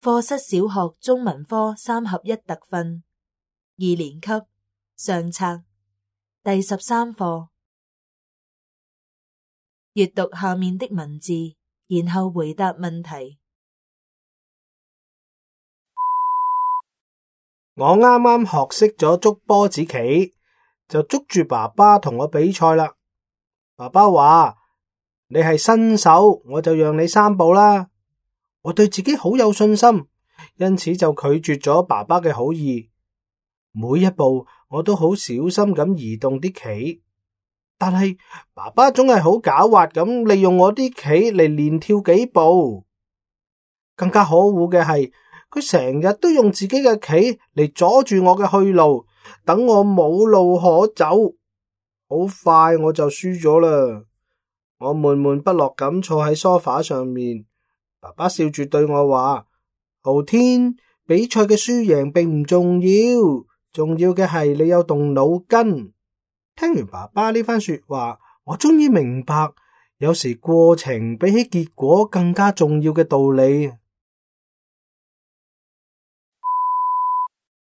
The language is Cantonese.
課室小學中文科3合1特訓2年級上冊第13課。閱讀下面的文字，然後回答問題。我啱啱學識咗捉波子棋，就捉住爸爸同我比賽啦。爸爸話：你係新手，我就讓你3步啦。我對自己好有信心，因此就拒絕咗爸爸嘅好意。每一步我都好小心咁移動啲棋，但係爸爸總係好狡猾咁利用我啲棋嚟連跳幾步。更加可惡嘅係，佢成日都用自己嘅棋嚟阻住我嘅去路，等我冇路可走。好快我就輸咗啦。我悶悶不樂咁坐喺梳化上面，爸爸笑住對我話：浩天，比賽嘅輸贏並唔重要，重要嘅係你有動腦筋。聽完爸爸呢番說話，我終於明白，有時過程比起結果更加重要嘅道理。